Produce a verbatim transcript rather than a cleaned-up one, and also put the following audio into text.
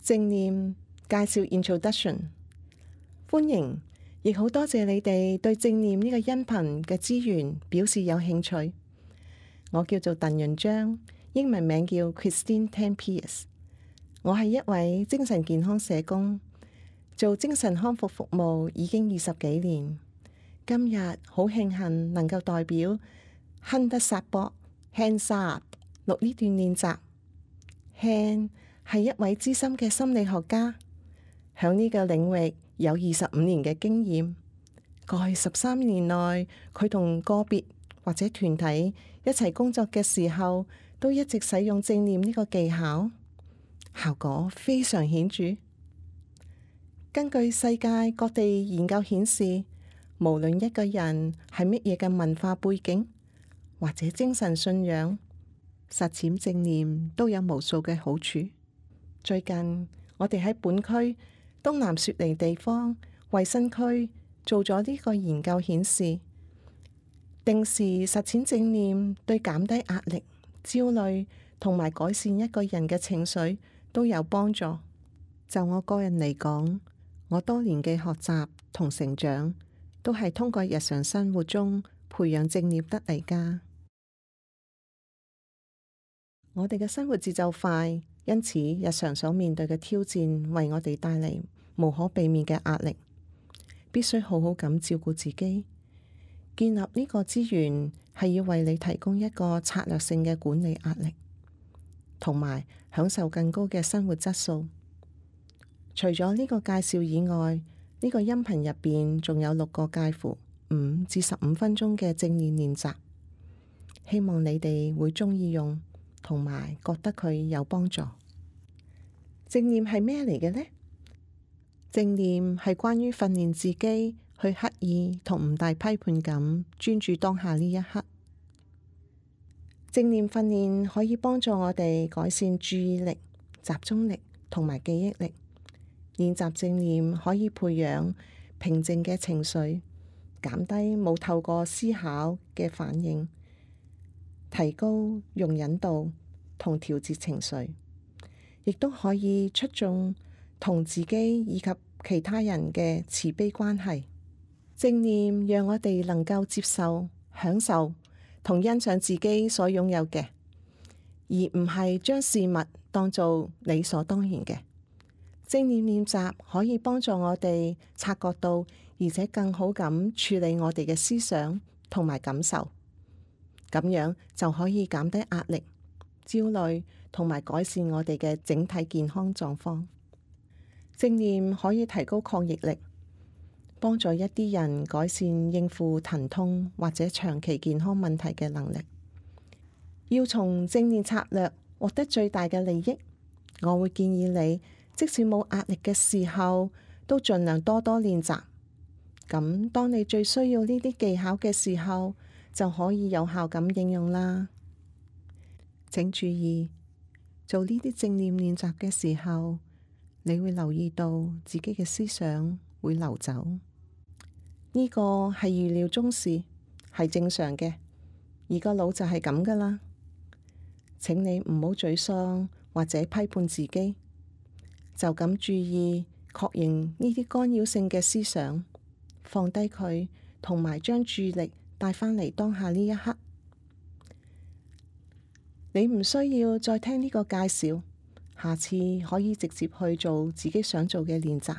正念介紹 Introduction， 歡迎，亦好多謝你哋對正念呢個音頻嘅資源表示有興趣。我叫做鄧潤章，英文名叫 Christine Tan Pierce。我係一位精神健康社工，做精神康復服務已經二十幾年。今日好慶幸能夠代表亨德薩博 Hans Saab 錄呢段練習。Hans 係一位資深嘅心理學家，響呢個領域有二十五年嘅經驗。過去十三年內，佢同個別或者團體一齊工作嘅時候，都一直使用正念呢個技巧，效果非常顯著。根據世界各地研究顯示，無論一個人係乜嘢嘅文化背景或者精神信仰，實踐正念都有無數嘅好處。最近我哋喺本區東南雪梨地方衛生區做咗呢個研究顯示，定時實踐正念對減低壓力、焦慮同埋改善一個人嘅情緒都有幫助。就我個人嚟講，我多年嘅學習同成長都係通過日常生活中培養正念得嚟㗎。我哋嘅生活節奏快，因此日常所面對嘅挑戰為我哋帶嚟無可避免嘅壓力，必須好好咁照顧自己。建立呢個資源係要為你提供一個策略性嘅管理壓力，同埋享受更高嘅生活質素。除咗呢個介紹以外，呢個音頻入邊仲有六個介乎五至十五分鐘嘅正念練習，希望你哋會鍾意用，同埋覺得佢有幫助。正念係咩嚟嘅呢？正念係關於訓練自己去刻意同唔帶批判咁專注當下呢一刻。正念訓練可以幫助我哋改善注意力、集中力同埋記憶力。練習正念可以培養平靜嘅情緒，減低冇透過思考嘅反應，提高容忍度同調節情緒，亦都可以促進同自己以及其他人嘅慈悲關係。正念讓我哋能夠接受、享受同欣賞自己所擁有嘅，而唔係將事物當做理所當然嘅。正念練習可以幫助我哋察覺到，而且更好咁處理我哋嘅思想同埋感受，咁樣就可以減低壓力、焦慮同埋改善我哋嘅整體健康狀況。正念可以提高抗逆力，幫助一啲人改善應付疼痛或者長期健康問題嘅能力。要從正念策略獲得最大嘅利益，我會建議你，即使冇壓力嘅時候，都盡量多多練習。咁當你最需要呢啲技巧嘅時候，就可以有效咁應用啦。請注意，做呢啲正念練習嘅時候，你會留意到自己嘅思想會流走。呢個係預料中事，係正常嘅，而個腦就係咁噶啦。請你唔好沮喪或者批判自己。就咁注意，確認呢啲干擾性嘅思想，放低佢，同埋將注意力帶返嚟當下呢一刻。你唔需要再聽呢個介紹，下次可以直接去做自己想做嘅練習。